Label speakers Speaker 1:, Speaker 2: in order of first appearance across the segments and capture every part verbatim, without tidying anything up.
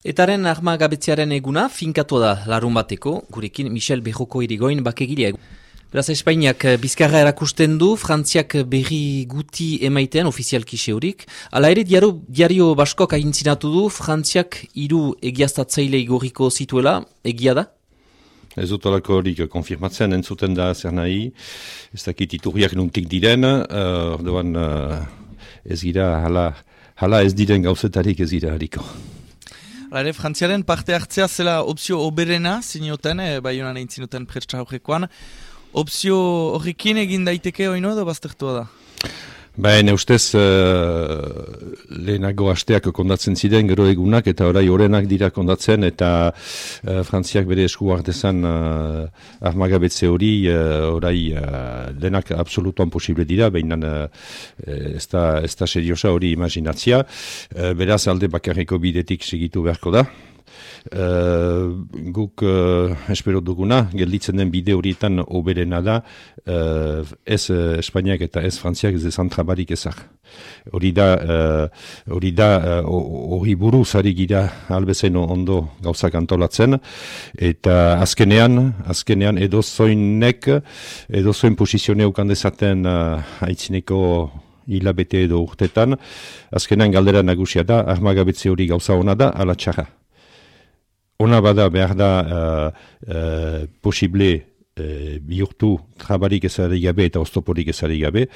Speaker 1: Etaren armagabetzearen eguna finkatu da larun bateko, gurekin Michel Berroko irigoin bakegilea. Beraz, Espainiak bizkarra erakusten du, Frantziak berri guti emaiten ofizialki seurik. Hala ere, diario, diario Baskok ahintzinatu du, Frantziak hiru egiaztatzaile igorriko zituela, egia da?
Speaker 2: Ez dut olako horik konfirmatzen entzuten da zer nahi, ez dakit iturriak nuntik diren, uh, orduan uh, ez gira, hala, hala ez diren gauzetarik ez gira hariko.
Speaker 3: Hala ere, Frantziaren parte hartzea zela opzio oberena, zinioten, e, bai honan egin zinuten pretsa horrekoan. Opzio horrekin egin daiteke oino edo baztertua da?
Speaker 2: Baina ustez uh, lehenago hasteak kondatzen ziren gero egunak eta orai orenak dira kondatzen eta uh, Frantziak bere esku hartezan uh, armagabetze hori uh, orai uh, denak absolutuan posible dira, baina uh, ez da, ez da seriosa hori imaginatzia. Uh, beraz alde bakarreko bidetik segitu beharko da. Uh, guk uh, espero duguna, gelditzen den bide horietan oberena da, uh, ez uh, Espainiak eta ez Frantziak ez ezan trabarik ezak. Hori da, hori uh, da, hori uh, buruz ari gira albezen ondo gauzak antolatzen, eta azkenean, azkenean edozoinek, edozoin posizionea ukandezaten uh, haitzineko hilabete edo urtetan, azkenean galdera nagusia da, armagabetze hori gauza ona da, ala txarra. Ona bada behar da uh, uh, posible uh, bihurtu trabarik ezari gabe eta oztoporik ezari gabe,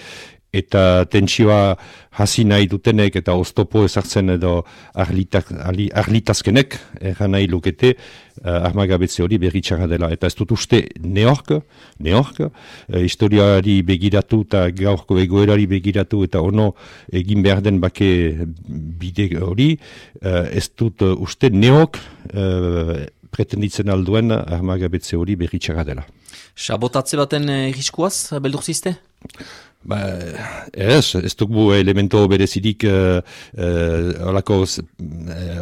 Speaker 2: eta tentsioa hasi nahi dutenek eta oztopo ezartzen edo arlitak, arli, arlitazkenek erran nahi lukete uh, armagabetze hori berri txarra dela. Eta ez dut uste neork, neork, uh, historiari begiratu eta gaurko egoerari begiratu eta ono egin behar den bake bide hori, uh, ez dut uh, uste neok uh, pretenditzen alduen armagabetze hori berri txarra dela.
Speaker 1: Sabotatze baten riskuaz, beldur ziste?
Speaker 2: Ba, ez, ez dugu elemento berezirik uh, uh, olako uh,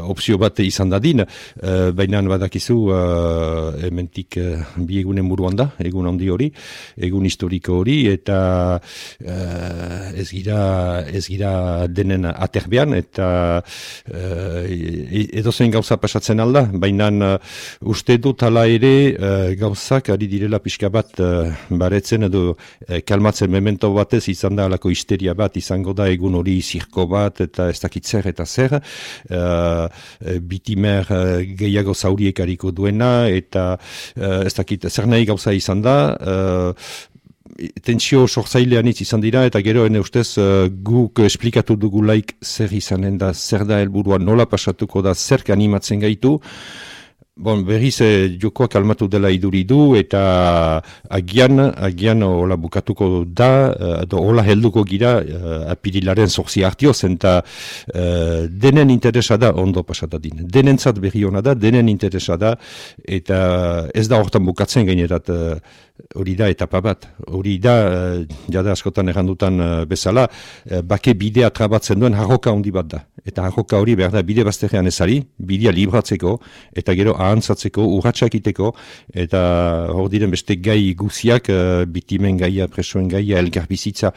Speaker 2: opzio bat izan dadin, uh, baina badakizu uh, ementik uh, bi egunen buruan da, egun handi hori, egun historiko hori, eta uh, ez gira, ez gira denen aterbean, eta uh, edozen gauza pasatzen alda, baina uh, uste dut hala ere uh, gauzak ari direla pixka bat uh, baretzen edo uh, kalmatzen memento bat ez izan da alako histeria bat, izango da egun hori zirko bat, eta ez dakit zer eta zer, uh, bitimer uh, gehiago zauriek hariko duena, eta uh, ez dakit zer nahi gauza izan da, uh, tentsio sortzailean izan dira, eta gero ene ustez uh, guk esplikatu dugulaik zer izanen da, zer da helburua, nola pasatuko da, zerk animatzen gaitu. Bon, berriz eh, jokoak almatu dela iduridu eta agian, agian hola bukatuko da, edo uh, hola helduko gira uh, apirilaren zorzi hartioz, eta uh, denen interesa da ondo pasatadin. Denentzat berri hona da, denen interesa da, eta ez da hortan bukatzen gainerat uh, hori da etapa bat. Hori da, uh, jada askotan errandutan uh, bezala, uh, bake bidea trabatzen duen harroka handi bat da. Eta harroka hori behar da bide bazterrean ezari, bidea libratzeko, eta gero ahantzatzeko, urratxakiteko, eta hor diren beste gai guziak, uh, bitimen gaia, presoen gaia, elgar bizitza,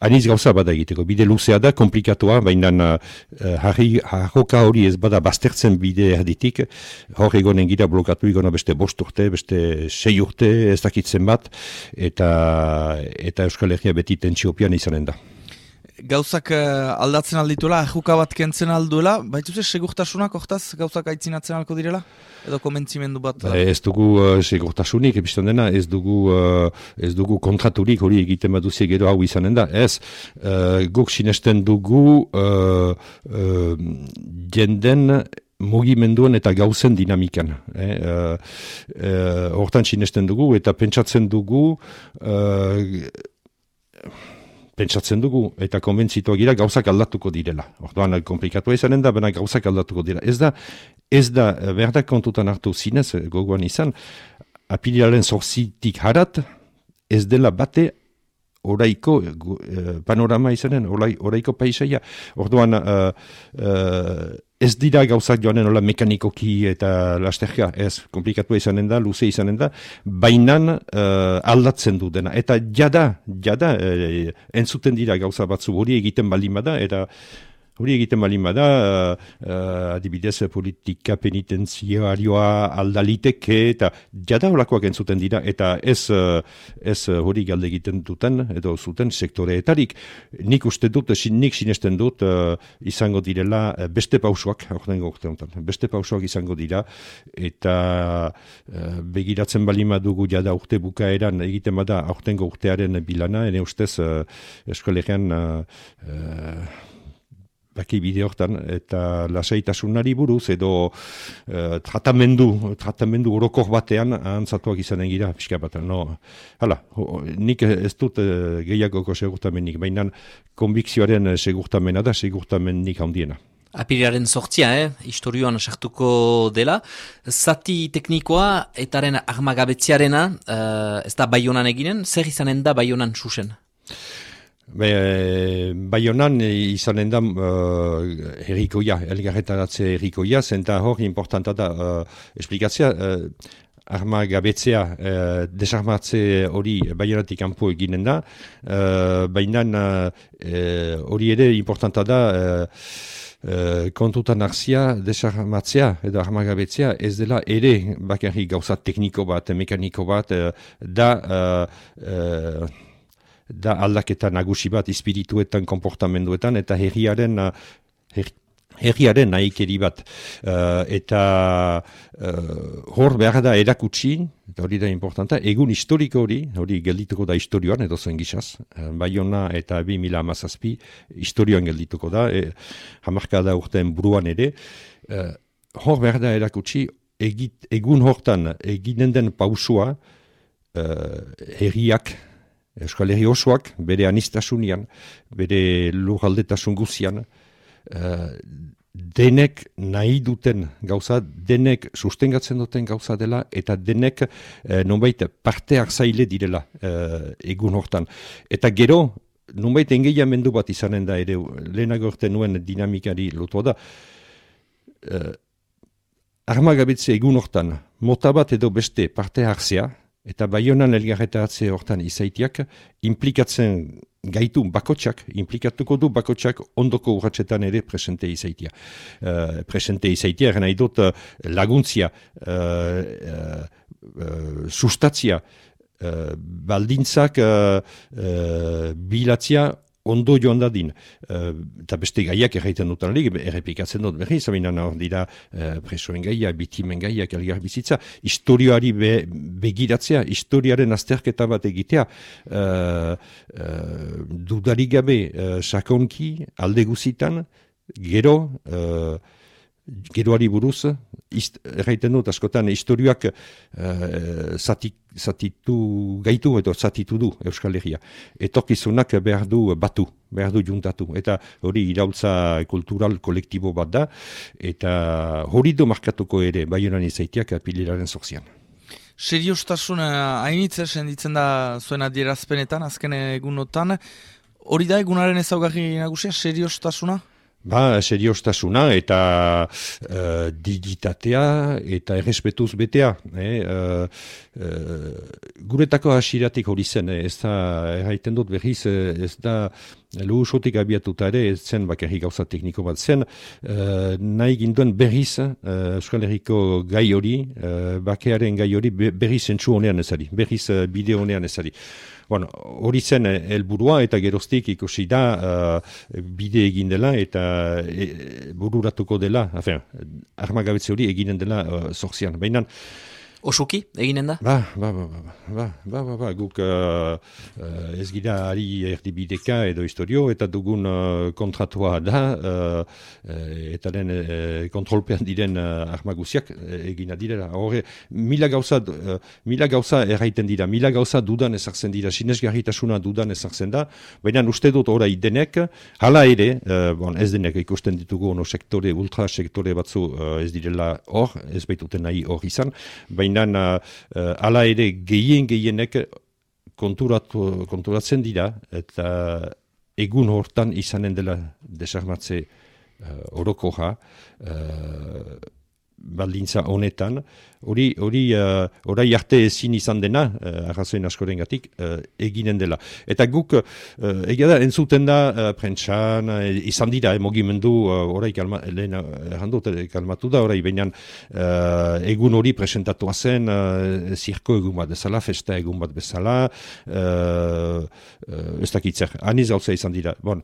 Speaker 2: aniz gauza bada egiteko. Bide luzea da, komplikatua, baina uh, harroka hori ez bada baztertzen bide erditik, hor egonen gira blokatu egona beste bost urte, beste sei urte, ez dakitzen bat, eta, eta Euskal Herria beti tentsiopian izanen da.
Speaker 3: Gauzak uh, aldatzen aldituela, ahuka bat kentzen alduela, baituzte segurtasunak hortaz gauzak aitzinatzen alko direla? Edo komentzimendu bat?
Speaker 2: Da? Ez dugu uh, segurtasunik, epistan dena, ez dugu, uh, ez dugu kontraturik hori egiten baduzie gero hau izanen da. Ez, uh, guk sinesten dugu uh, uh, jenden mugimenduen eta gauzen dinamikan. Eh? Uh, uh, hortan sinesten dugu eta pentsatzen dugu uh, pentsatzen dugu, eta konbentzitua gira gauzak aldatuko direla. Orduan, komplikatua izanen da, baina gauzak aldatuko dira. Ez da, ez da, berdak kontutan hartu zinez, gogoan izan, apirilaren zorzitik harat, ez dela bate oraiko panorama izanen, oraiko paisaia. Orduan, uh, uh, ez dira gauzak joanen hola mekanikoki eta lasterka, ez, komplikatua izanen da, luze izanen da, bainan uh, aldatzen du dena. Eta jada, jada, uh, entzuten dira gauza batzu hori egiten baldin bada, eta hori egiten balin bada, uh, uh, adibidez politika penitenziarioa aldaliteke, eta jada holakoak entzuten dira, eta ez, uh, ez uh, hori galde egiten duten, edo zuten sektoreetarik. Nik uste dut, nik sinesten dut, uh, izango direla uh, beste pausoak, aurtengo urtean, beste pausoak izango dira, eta uh, begiratzen balin badugu jada urte bukaeran egiten bada aurtengo urtearen bilana, ene ustez uh, eskolegian uh, uh, baki bide hortan, eta lasaitasunari buruz, edo uh, tratamendu, tratamendu orokor batean ahantzatuak izanen gira, pixka bat. No, hala, ho, nik ez dut uh, gehiagoko segurtamenik, baina konbikzioaren segurtamena da, segurtamenik handiena.
Speaker 1: Apirilaren sortzia, eh? Historioan sartuko dela. Zati teknikoa, etaren armagabetziarena, uh, ez da Baionan eginen, zer izanen da Baionan susen?
Speaker 2: Be, Baionan izanen da uh, herrikoia, elgarretaratze herrikoia, zenta hor importanta da uh, esplikatzea, uh, armagabetzea, uh, desarmatze hori Baionatik kanpo eginen da, uh, baina hori uh, ere importanta da uh, Uh, kontutan hartzia, desarmatzea edo armagabetzea ez dela ere bakarrik gauza tekniko bat, mekaniko bat, uh, da uh, uh, da aldaketa nagusi bat espirituetan, komportamenduetan, eta herriaren uh, her, herriaren nahikeri bat. Uh, eta uh, hor behar da erakutsi, eta hori da importanta, egun historiko hori, hori geldituko da historioan, edo zen gizaz, uh, Baiona eta bi mila hamazazpi historioan geldituko da, e, hamarkada urtean buruan ere, uh, hor behar da erakutsi, egit, egun hortan eginen den pausua, uh, herriak, Euskal Herri osoak, bere anistasunean, bere lurraldetasun guzian, uh, denek nahi duten gauza, denek sustengatzen duten gauza dela, eta denek uh, nonbait parte hartzaile direla uh, egun hortan. Eta gero, nonbait engeiamendu bat izanen da ere, lehenago urte nuen dinamikari lotua da, uh, armagabetze egun hortan, mota bat edo beste parte hartzea, eta Baionan elgarretaratze hortan izaitiak, implikatzen gaitu bakotxak, implikatuko du bakotxak ondoko urratxetan ere presente izaitia. Uh, presente izaitia, nahi dut uh, laguntzia, uh, uh, uh, sustatzia, uh, baldintzak uh, uh, bilatzia ondo joan dadin. Uh, eta beste gaiak erraiten dutan alik, errepikatzen dut berriz, aminan hor dira uh, presoen gaia, bitimen gaiak, elgar bizitza, historioari be, begiratzea, historiaren azterketa bat egitea, uh, uh, dudarik gabe uh, sakonki, alde guzitan, gero, uh, geroari buruz, erraiten dut askotan, historioak uh, zati, zatitu gaitu edo zatitu du Euskal Herria. Etorkizunak behar du batu, behar du juntatu. Eta hori iraultza kultural kolektibo bat da, eta hori du markatuko ere Baionan izaitiak apililaren zorzian.
Speaker 3: Seriostasuna hainitze senditzen da zuen adierazpenetan, azken egunotan. Hori da egunaren ezaugarri nagusia, seriostasuna?
Speaker 2: Ba, seriostasuna eta uh, digitatea eta errespetuz betea. Eh? Uh, uh, guretako hasiratik hori zen, eh? Ez da, erraiten dut berriz, ez da luhusotik abiatuta ere, ez zen bakarrik gauza tekniko bat zen, uh, nahi ginduen berriz uh, Euskal Herriko gai hori, uh, bakearen gai hori berriz entzu honean ezari, berriz uh, bideo honean ezari. Bueno, hori zen helburua eta geroztik ikusi da uh, bide egin dela eta e, bururatuko dela, afen, armagabetze hori eginen dela uh, zorzian. Baina
Speaker 1: Osoki, eginen da?
Speaker 2: Ba, ba, ba, ba, ba, ba, ba, ba, guk uh, uh, ez gira ari erdibideka edo historio, eta dugun uh, kontratua da, uh, eta den uh, kontrolpean diren uh, armaguziak uh, egina direla. Horre, mila gauza, uh, mila gauza erraiten dira, mila gauza dudan ezartzen dira, sinesgarritasuna dudan ezartzen da, baina uste dut orai denek, hala ere, uh, bon, ez denek ikusten ditugu ono sektore, ultra sektore batzu uh, ez direla hor, ez baituten nahi hor izan, baina Uh, uh, ala ere gehien gehienek konturatu, konturatzen dira eta egun hortan izanen dela desarmatze uh, orokoja uh, baldintza honetan, hori hori uh, orai arte ezin izan dena, uh, arrazoen askorengatik, uh, eginen dela. Eta guk, uh, egia da, entzuten da, uh, prentsan, uh, izan dira, eh, mogimendu, uh, orai kalma, lehen errandut, kalmatu da, orai behinan uh, egun hori presentatua zen, uh, zirko egun bat bezala, festa egun bat bezala, uh, uh, ez dakitzer, aniz gauza izan dira. Bon,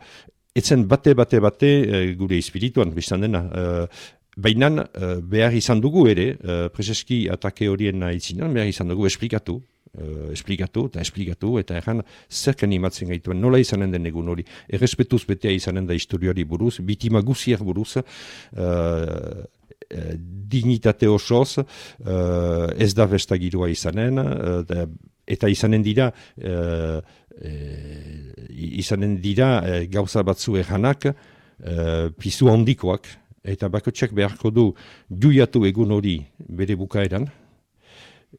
Speaker 2: etzen bate, bate, bate, uh, gure espirituan, biztan dena, uh, baina uh, behar izan dugu ere, uh, prezeski atake horien aitzinan, behar izan dugu esplikatu, uh, esplikatu eta esplikatu, eta erran zerken imatzen gaituen, nola izanen den egun hori, errespetuz betea izanen da historiari buruz, bitima guziak buruz, uh, dignitate osoz, uh, ez da bestagirua izanen, uh, eta izanen dira, uh, uh, izanen dira uh, gauza batzu erranak, uh, pizu handikoak, eta bakotxak beharko du juiatu egun hori bere bukaeran,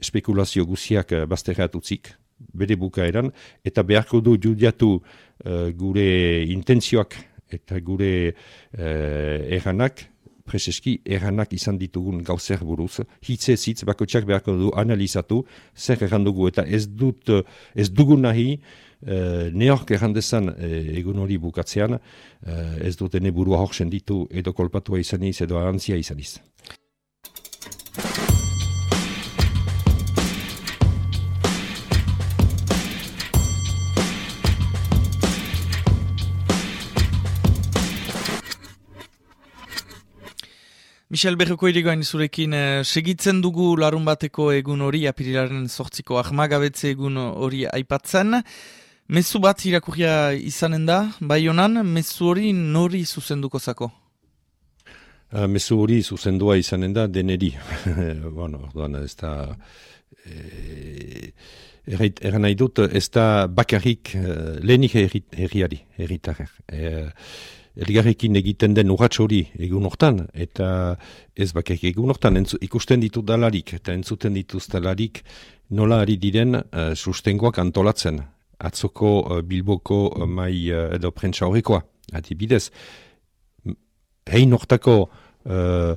Speaker 2: spekulazio guziak bazterrat utzik, bere bukaeran, eta beharko du juiatu uh, gure intentzioak eta gure uh, erranak, prezeski erranak izan ditugun gauzer buruz, hitze zitz bakotxak beharko du analizatu, zer erran dugu, eta ez dut, ez dugu nahi, Uh, neork errandezan uh, egun hori bukatzean, uh, ez dut ene burua hor senditu edo kolpatua izaniz edo arantzia izaniz.
Speaker 3: Michel Berroko irigoain zurekin eh, segitzen dugu larun bateko egun hori, apirilaren zortziko ahmagabetze egun hori aipatzen. Mezu bat irakurria izanen da, bai honan, mezu hori nori zuzenduko zako?
Speaker 2: Uh, mezu hori zuzendua izanen da deneri. bueno, orduan ez da... E, erran nahi dut, ez da bakarrik uh, lehenik herriari, herritarrer. E, Elgarrekin egiten den urratx hori egun hortan, eta ez bakarrik egun hortan, entzu, ikusten ditu dalarik, eta entzuten dituz dalarik nola ari diren uh, sustengoak antolatzen. Atzoko uh, Bilboko uh, mai uh, edo prentsa horrekoa, adibidez. Hein hortako uh,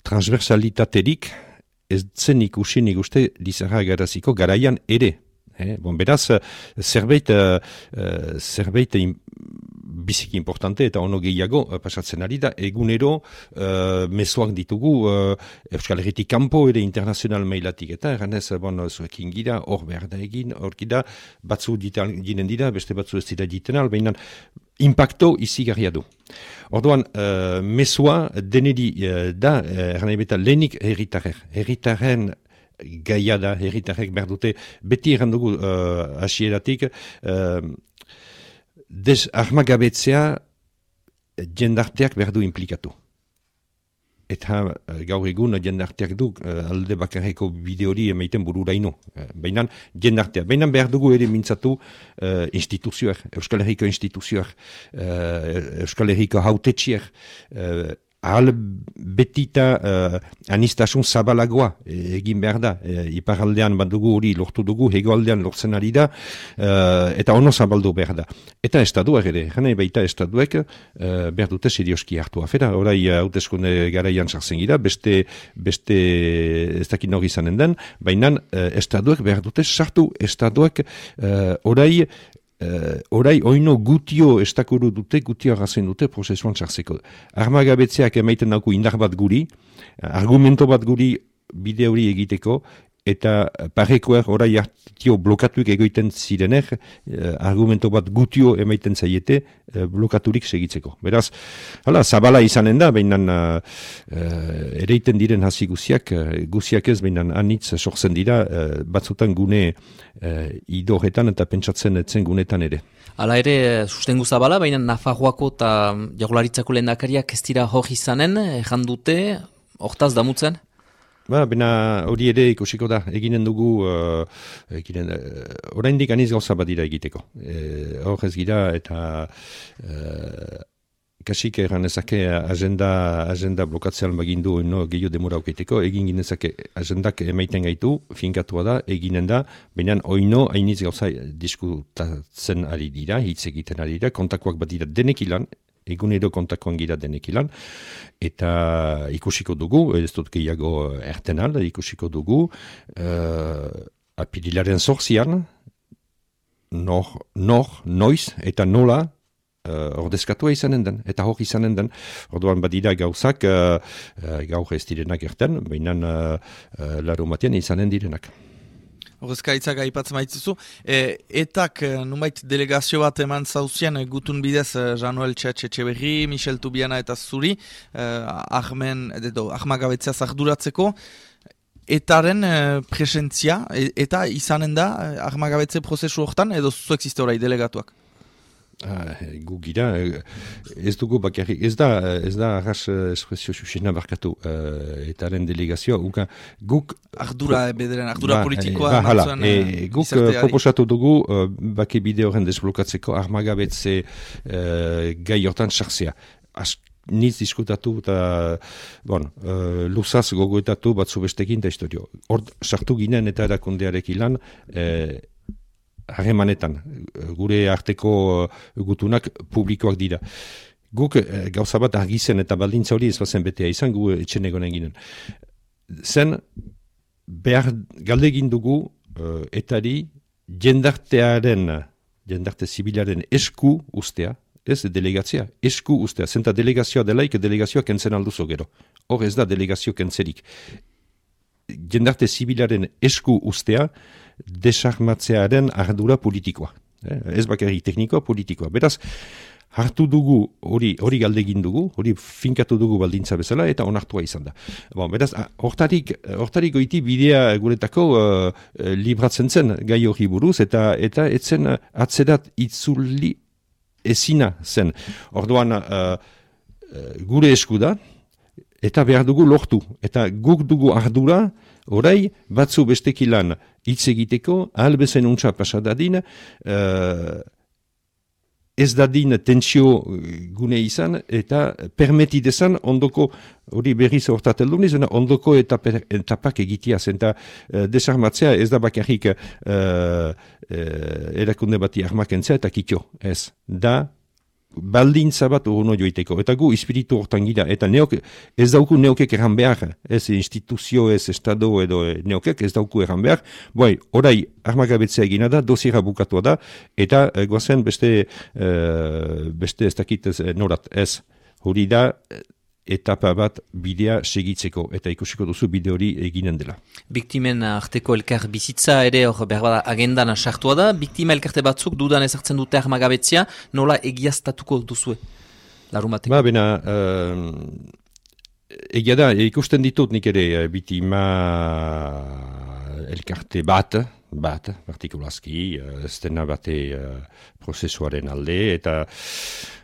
Speaker 2: transversalitaterik ez zen ikusi nik uste Lizarra Garaziko garaian ere. Eh? Bon, beraz, zerbait, uh, uh, zerbait biziki importante eta ono gehiago uh, pasatzen ari da, egunero uh, mezuak ditugu uh, Euskal Herritik kanpo ere internazional mailatik, eta erranez, bon, zuekin gira, hor behar da egin, hor gira, batzu ginen dira, beste batzu ez dira ditenal, behinan impacto izigarria du. Orduan, uh, mesua denedi uh, da, erranei beta lehenik herritarrer, herritarren gaia da, herritarrek behar dute, beti errandugu uh, asieratik, uh, des armagabetzea jendarteak behar du implikatu. Eta uh, gaur egun jendarteak du uh, alde bakarreko bide hori emaiten bururaino. Uh, Baina jendarteak, baina behar dugu ere mintzatu uh, instituzioak, Euskal Herriko instituzioak, uh, Euskal Herriko hautetxiak, uh, ahal betita uh, anistasun zabalagoa egin behar da. E, iparaldean bat dugu hori lortu dugu, hegoaldean lortzen ari da, uh, eta ono zabaldu behar da. Eta estaduak ere, jane baita estaduek uh, behar dute serioski hartu afera. Horai hauteskunde garaian sartzen gira, beste, beste ez dakit nori izanen den, baina uh, estaduek behar dute sartu, estaduek uh, orai Uh, orai oino gutio estakuru dute, gutio arrazen dute prozesuan txarzeko. Armagabetzeak emaiten dauku indar bat guri, argumento bat guri bide hori egiteko, eta parekoer orai hartio blokatuik egoiten zirener, uh, argumento bat gutio emaiten zaiete uh, blokaturik segitzeko. Beraz, hala, zabala izanen da, behinan uh, uh, ereiten diren hasi guziak, uh, guziak ez, behinan anitz sortzen dira, uh, batzutan gune uh, idorretan eta pentsatzen etzen gunetan ere.
Speaker 1: Hala ere, sustengu zabala, baina Nafarroako eta Jaurlaritzako lehendakariak ez dira hor izanen, erran dute, hortaz damutzen?
Speaker 2: Ba, bena hori ere ikusiko da, eginen dugu, uh, eginen, uh, oraindik aniz gauza bat dira egiteko. E, hor ez gira eta uh, kasik erran ezake agenda, agenda blokatzean bagindu no, gehiago demora auketeko, egin ginezake agendak emaiten gaitu, finkatua da, eginen da, baina oino hainiz gauza diskutatzen ari dira, hitz egiten ari dira, kontakoak bat dira denek ilan, egunero kontakoan gira denekilan, eta ikusiko dugu, ez dut gehiago ertenal, ikusiko dugu, uh, apirilaren zorzian, nor, nor, noiz, eta nola, uh, ordezkatua izanen den, eta hor izanen den. Orduan badira gauzak, uh, uh, gaur ez direnak erten, baina uh, uh, larumatean izanen direnak.
Speaker 3: Horrezkaitzak aipatzen maitzuzu. E, etak, numait delegazio bat eman zauzien, gutun bidez, Januel Txetxeberri, Michel Tubiana eta Zuri, eh, Ahmen, edo, ahmagabetzea zarduratzeko. Etaren eh, presentzia, e, eta izanen da, ahmagabetze prozesu hortan, edo zuzu existe orai delegatuak?
Speaker 2: Ah, gu gira, ez dugu bakarrik, ez da, ez da arras espresio susena barkatu uh, etaren delegazioa, uka, guk...
Speaker 3: Ardura, bederen, ardura ba, politikoa.
Speaker 2: Ba, hala, e, guk uh, proposatu dugu, uh, bake bide horren desblokatzeko armagabetze uh, gai hortan sartzea. Niz diskutatu eta, bon, uh, luzaz gogoetatu batzu bestekin da historio. Hor, sartu ginen eta erakundearekin lan, uh, harremanetan, gure arteko gutunak publikoak dira. Guk gauza bat argizen eta baldintza hori ez bazen betea izan, gu etxen egonen ginen. Zen, behar galdegin dugu uh, etari jendartearen, jendarte zibilaren esku ustea, ez delegatzea, esku ustea. Zenta delegazioa delaik, delegazioa kentzen alduzo gero. Hor ez da delegazio kentzerik. Jendarte zibilaren esku ustea, desarmatzearen ardura politikoa. Eh? Ez bakarrik teknikoa, politikoa. Beraz, hartu dugu, hori hori galdegin dugu, hori finkatu dugu baldintza bezala, eta onartua izan da. Bon, beraz, hortarik, hortarik goiti bidea guretako uh, libratzen zen gai hori buruz, eta eta etzen atzerat itzuli ezina zen. Orduan, uh, gure esku da, eta behar dugu lortu. Eta guk dugu ardura, orai, batzu bestekilan hitz egiteko, ahal bezen untsa pasadadin, uh, ez dadin tentsio gune izan, eta permetidezan ondoko, hori berriz hortateldu niz, ondoko etaper, etapak egitia zen, eta uh, desarmatzea ez da bakarrik uh, uh, erakunde bati armakentzea eta kitio, ez da, baldintza bat urno joiteko. Eta gu espiritu hortan gira. Eta neok, ez dauku neokek erran behar. Ez instituzio, ez estado edo neokek ez dauku erran behar. Boi, orai armagabetzea egina da, dosiera bukatua da, eta e, goazen beste, e, beste ez dakit ez, norat. Ez, hori da etapa bat bidea segitzeko. Eta ikusiko duzu bide hori eginen dela.
Speaker 1: Biktimen arteko elkar bizitza ere hor behar bada agendan sartua da. Biktima elkarte batzuk dudan ezartzen dute armagabetzea, nola egiaztatuko duzue? Larumateko.
Speaker 2: Ba, bena, uh, egia da, ikusten ditut nik ere biktima elkarte bat, bat, partikulazki, ez dena bate uh, prozesuaren alde, eta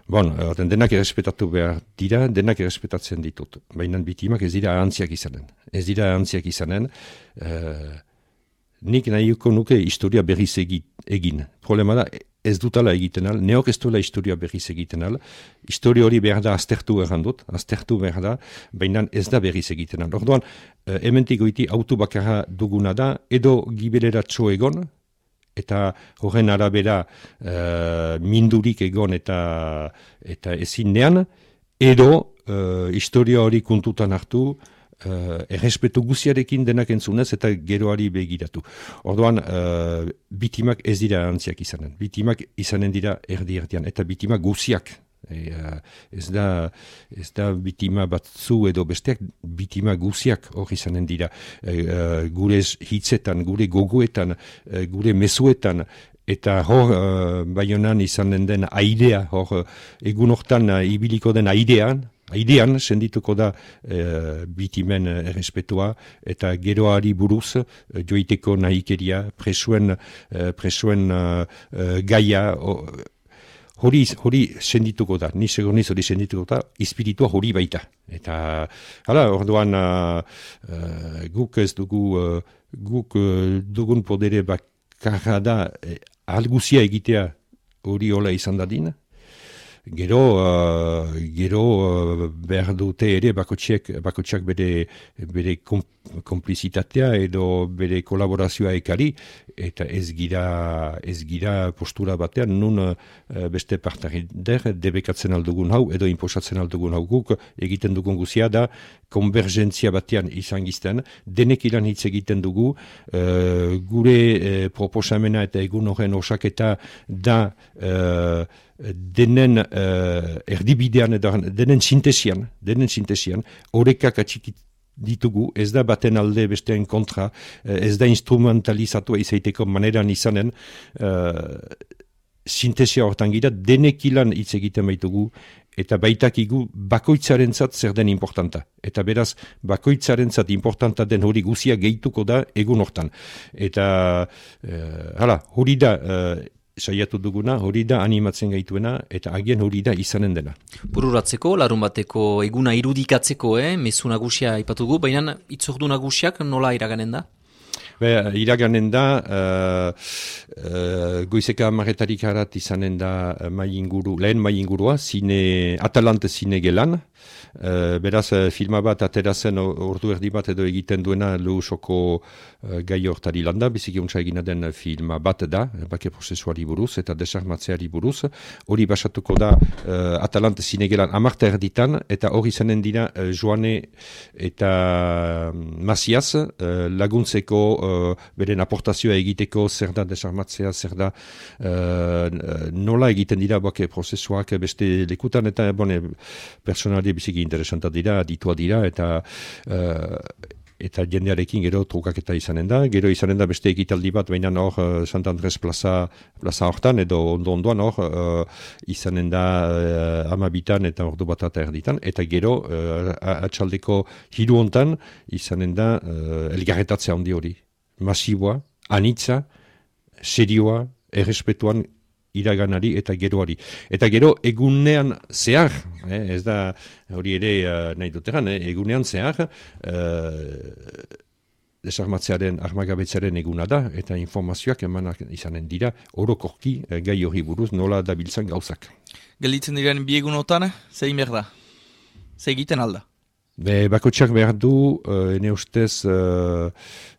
Speaker 2: bon, denak errespetatu behar dira, denak errespetatzen ditut. Baina biktimak ez dira ahantziak izanen. Ez dira ahantziak izanen. Uh, nik nahiuko nuke historia berriz egin. Problema da, ez dutala egiten al, neok ez duela historia berriz egiten al. Historia hori behar da aztertu errandut, aztertu behar da, baina ez da berriz egiten al. Orduan, uh, hementik goiti auto bakarra duguna da, edo gibelera txo egon, eta horren arabera uh, mindurik egon eta eta ezinean, edo uh, historia hori kontutan hartu, uh, errespetu guziarekin denak entzunez eta geroari begiratu. Orduan, uh, bitimak ez dira antziak izanen. Bitimak izanen dira erdi-erdian, eta bitimak guziak. E, uh, ez da, ez da bitima batzu edo besteak bitima guziak hor izanen dira e, uh, gure hitzetan, gure gogoetan, uh, gure mezuetan, eta hor uh, Baionan izanen den airea, hor egun hortan uh, ibiliko den airean, airean sendituko da uh, bitimen errespetua eta geroari buruz uh, joiteko nahikeria, presuen, uh, presuen uh, uh, gaia, uh, Hori, hori sendituko da, ni segoniz hori sendituko da, espiritua hori baita. Eta, hala, orduan, uh, uh, guk ez dugu, uh, guk uh, dugun podere bakarra da, eh, alguzia egitea hori hola izan dadin. Gero, uh, gero uh, behar dute ere bakotxek, bakotxak bere, bere kom, komplizitatea edo bere kolaborazioa ekari, eta ez gira, ez gira postura batean nun uh, beste partarider debekatzen aldugun hau edo inposatzen aldugun hau guk egiten dugun guzia da konvergentzia batean izan gizten, denek ilan hitz egiten dugu, uh, gure uh, proposamena eta egun horren osaketa da uh, denen uh, erdibidean edo denen sintesian, denen sintesian, horrekak atxikit ditugu, ez da baten alde bestean kontra, ez da instrumentalizatua izaiteko maneran izanen, uh, sintesia hortan gira, denek ilan hitz egiten baitugu, eta baitakigu bakoitzarentzat zer den importanta. Eta beraz, bakoitzarentzat importanta den hori guzia gehituko da egun hortan. Eta, uh, hala, hori da, uh, saiatu duguna, hori da animatzen gaituena, eta agian hori da izanen dena.
Speaker 1: Bururatzeko, larun bateko eguna irudikatzeko, eh? Mezu nagusia aipatugu, baina itzordu nagusiak nola iraganen da?
Speaker 2: Be, iraganen da, uh, uh, goizeka amaretarik harat izanen da mai inguru, lehen mai ingurua, zine, Atalante zine gelan, Uh, beraz, uh, filma bat aterazen ordu erdi bat edo egiten duena lehusoko uh, gai hortari landa, biziki untsa egina den filma bat da, bake prozesuari buruz eta desarmatzeari buruz. Hori basatuko da uh, Atalante zinegelan amarta erditan, eta hori izanen dira uh, Joane eta Masiaz uh, laguntzeko uh, beren aportazioa egiteko zer da desarmatzea, zer da uh, nola egiten dira bake prozesuak beste lekutan, eta bone, personali biziki interesanta dira, ditua dira, eta uh, eta jendearekin gero trukaketa izanen da. Gero izanen da beste ekitaldi bat, baina hor uh, Sant Andres plaza, plaza hortan, edo ondo-ondoan hor uh, izanen da uh, amabitan eta ordu bat eta erditan, eta gero uh, atxaldeko hiru hontan izanen da uh, elgarretatzea handi hori. Masiboa, anitza, serioa, errespetuan iraganari eta geroari. Eta gero egunean zehar, eh, ez da hori ere uh, nahi duteran, eh, egunean zehar uh, desarmatzearen, armagabetzearen eguna da, eta informazioak emanak izanen dira, orokorki uh, gai hori buruz nola dabiltzan gauzak.
Speaker 3: Gelditzen diren bi egunotan, zein behar da? Ze egiten alda?
Speaker 2: Be, bakotxak behar du, uh, ene ustez, uh,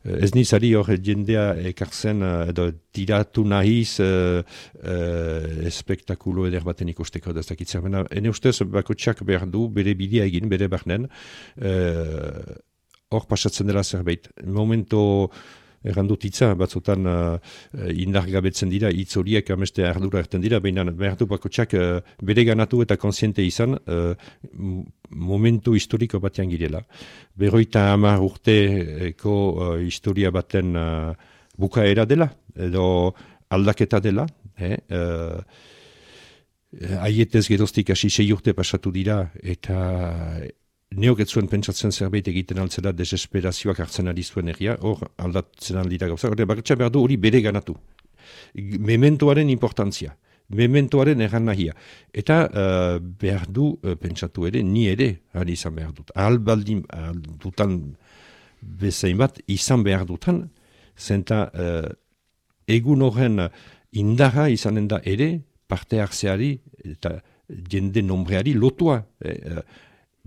Speaker 2: ez nizari hor jendea ekartzen, uh, edo tiratu nahiz uh, uh, espektakulo eder baten ikusteko da ez dakitzen. Bena, ene ustez, bakotxak behar du, bere bidea egin, bere barnen, uh, hor pasatzen dela zerbait. Momento errandut hitza, batzutan uh, indargabetzen dira, hitz horiek ameste ardura erten dira, baina behar du bakotxak uh, bere ganatu eta konsiente izan, uh, momentu historiko batean girela. Berroita hamar urteko uh, historia baten uh, bukaera dela, edo aldaketa dela, eh? uh, aietez geroztik hasi sei urte pasatu dira, eta neok ez zuen pentsatzen zerbait egiten altzela desesperazioak hartzen ari zuen egia, hor aldatzen aldira gauza, hori bakotxa behar du hori bere ganatu. Mementoaren importantzia. Mementoaren erran nahia. Eta uh, behar du, uh, pentsatu ere, ni ere, ahal izan behar dut. Ahal baldin, ahal dutan bezain bat, izan behar dutan, zenta uh, egun horren indarra izanen da ere, parte hartzeari eta jende nombreari lotua. Eh,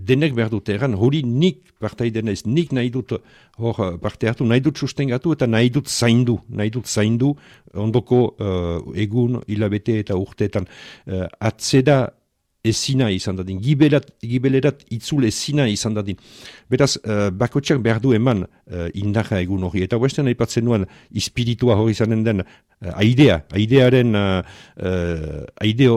Speaker 2: denek behar dut erran, hori nik partaiden ez, nik nahi dut hor parte hartu, nahi dut sustengatu eta nahi dut zaindu, nahi dut zaindu ondoko uh, egun, hilabete eta urteetan uh, atzeda ezina izan dadin, gibelat, gibelerat itzul ezina izan dadin. Beraz, uh, bakotxak behar du eman uh, indarra egun hori, eta huesten aipatzen nuen espiritua hori izanen den uh, aidea, aidearen uh, uh, aide,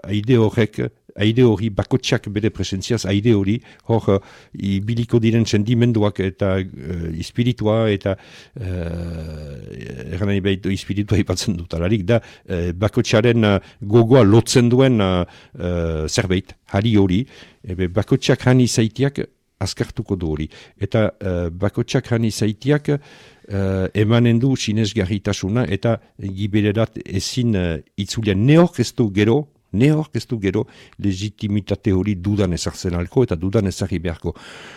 Speaker 2: aide horrek, aide hori, bakotxak bere presentziaz, aide hori, hor uh, ibiliko diren sendimenduak eta uh, espiritua eta uh, erran nahi behitu espiritua ipatzen dut, alarik da uh, bakotxaren uh, gogoa lotzen duen uh, uh, zerbait, hari hori, ebe bakotxak hani zaitiak azkartuko du hori. Eta uh, bakotxak hani zaitiak uh, emanen du sinesgarritasuna eta gibererat ezin uh, itzulian neok ez du gero, Neok ez du gero legitimitate hori dudan ezartzen alko eta dudan ezarri beharko.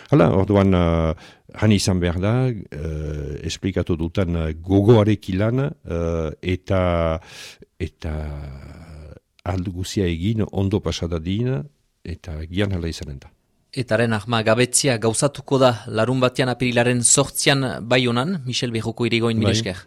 Speaker 2: Hala, orduan, uh, hani izan behar da, uh, esplikatu dutan uh, gogoarek ilan uh, eta, eta aldu guzia egin, ondo pasadadin, eta gian hala izanen da.
Speaker 1: Etaren ahma gabetzia gauzatuko da larun batean apirilaren sortzian Baionan, Michel Berroko irigoin, mil esker.